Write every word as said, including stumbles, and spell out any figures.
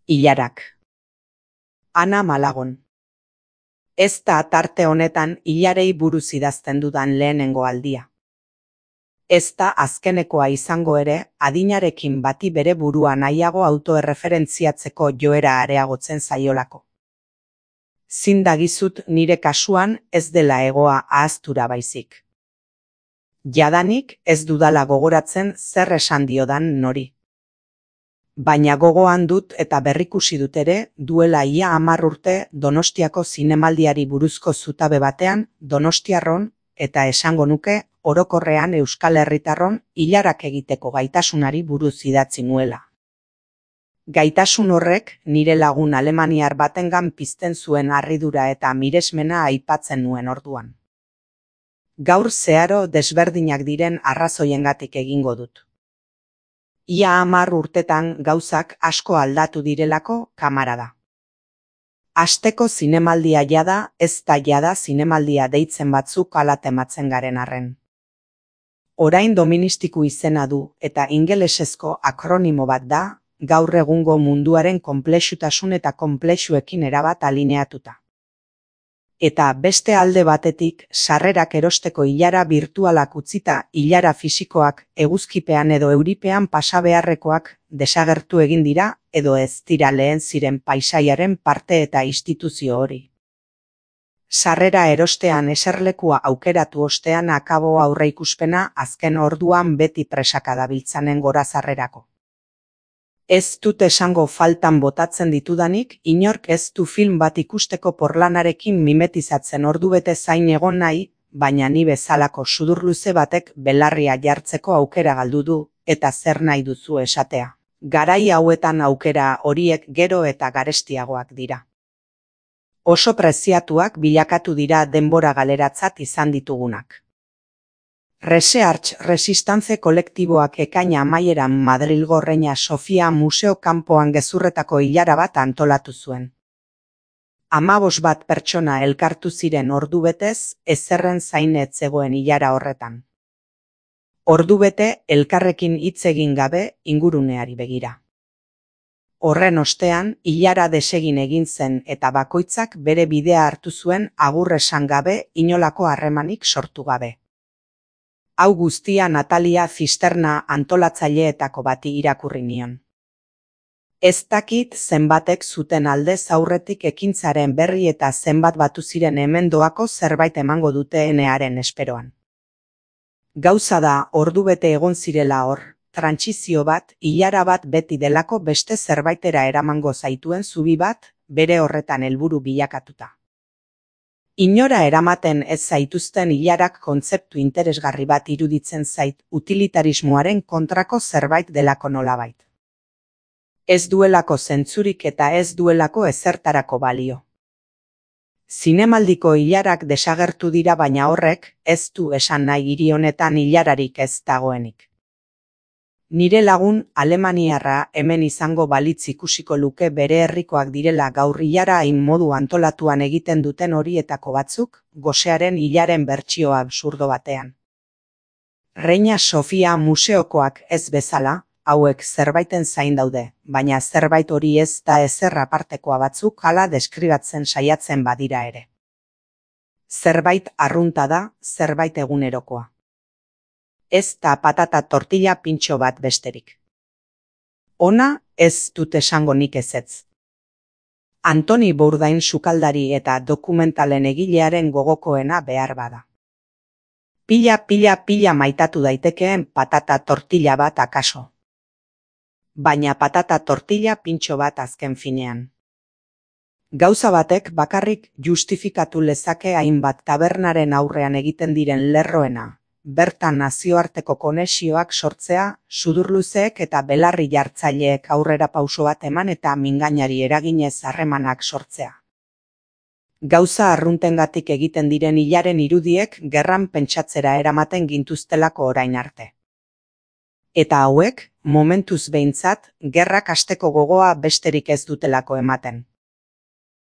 Ilarak. Ana Malagon. Ez da tarte honetan ilarei buruz idazten dudan lehenengo aldia. Ez da azkenekoa izango ere, adinarekin bati bere burua nahiago autoerreferentziatzeko joera areagotzen zaiolako. Zin dagizut nire kasuan ez dela egoa ahaztura baizik. Jadanik ez dudala gogoratzen zer esan diodan nori. Baina gogoan dut eta berrikusi dut ere, duela ia hamar urte Donostiako zinemaldiari buruzko zutabe batean, donostiarron, eta esango nuke, orokorrean Euskal Herritarron ilarak egiteko gaitasunari buruz idatzi nuela. Gaitasun horrek nire lagun alemaniar batengan pizten zuen harridura eta miresmena aipatzen nuen orduan. Gaur zeharo desberdinak diren arrazoiengatik egingo dut. Ia hamar urtetan gauzak asko aldatu direlako kamarada. Asteko zinemaldia jada, ez da jada zinemaldia deitzen batzuk ala tematzen garen arren. Orain doministiku izena du eta ingelesezko akronimo bat da, gaur egungo munduaren konplexutasun eta konplexuekin erabat alineatuta. Eta beste alde batetik, sarrerak erosteko ilara birtualak utzita ilara fisikoak eguzkipean edo euripean pasa beharrekoak desagertu egin dira edo ez dira lehen ziren paisaiaren parte eta instituzio hori. Sarrera erostean eserlekua aukeratu ostean akabo aurreikuspena azken orduan beti presaka dabiltzanen gora sarrerako. Ez dut esango faltan botatzen ditudanik, inork ez du film bat ikusteko porlanarekin mimetizatzen ordubete zain egon nahi, baina ni bezalako sudurluze batek belarria jartzeko aukera galdu du, eta zer nahi duzu esatea. Garai hauetan aukera horiek gero eta garestiagoak dira. Oso preziatuak bilakatu dira denbora galeratzat izan ditugunak. Research Resistance kolektiboak ekaina amaieran Madrilgo Reina Sofia Museo kanpoan gezurretako ilara bat antolatu zuen. Hamabos bat pertsona elkartu ziren ordubetez, ezerren zain ez zegoen ilara horretan. Ordubete elkarrekin hitz egin gabe inguruneari begira. Horren ostean, ilara desegin egin zen eta bakoitzak bere bidea hartu zuen agur esan gabe inolako harremanik sortu gabe. Hau guztia Natalia Zisterna antolatzaileetako bati irakurri nion. Ez dakit zenbatek zuten aldez aurretik ekintzaren berri eta zenbat batu ziren hemen doako zerbait emango dute enearen esperoan. Gauza da ordubete egon zirela hor, trantsizio bat, ilara bat beti delako beste zerbaitera eramango zaituen zubi bat, bere horretan helburu bilakatuta. Inora eramaten ez zaituzten ilarak kontzeptu interesgarri bat iruditzen zait utilitarismoaren kontrako zerbait delako nolabait. Ez duelako zentzurik eta ez duelako ezertarako balio. Zinemaldiko ilarak desagertu dira baina horrek ez du esan nahi hiri honetan ilararik ez dagoenik. Nire lagun alemaniarra hemen izango balitz ikusiko luke bere herrikoak direla gaur ilara hain modu antolatuan egiten duten horietako batzuk, gosearen ilaren bertsio absurdo batean. Reina Sofia museokoak ez bezala, hauek zerbaiten zain daude, baina zerbait hori ez da ezer apartekoa batzuk hala deskribatzen saiatzen badira ere. Zerbait arrunta da, zerbait egunerokoa. Ez da patata tortilla pintxo bat besterik. Ona ez dut esango nik ezetz. Antoni Bourdain sukaldari eta dokumentalen egilearen gogokoena behar bada. Pila, pila, pila maitatu daitekeen patata tortilla bat akaso. Baina patata tortilla pintxo bat azken finean. Gauza batek bakarrik justifikatu lezake hainbat tabernaren aurrean egiten diren lerroena. Bertan nazioarteko konexioak sortzea, sudurluzeek eta belarri jartzaileek aurrera pauso bat eman eta mingainari eraginez harremanak sortzea. Gauza arruntengatik egiten diren ilaren irudiek gerran pentsatzera eramaten gintuztelako orain arte. Eta hauek, momentuz behintzat, gerrak hasteko gogoa besterik ez dutelako ematen.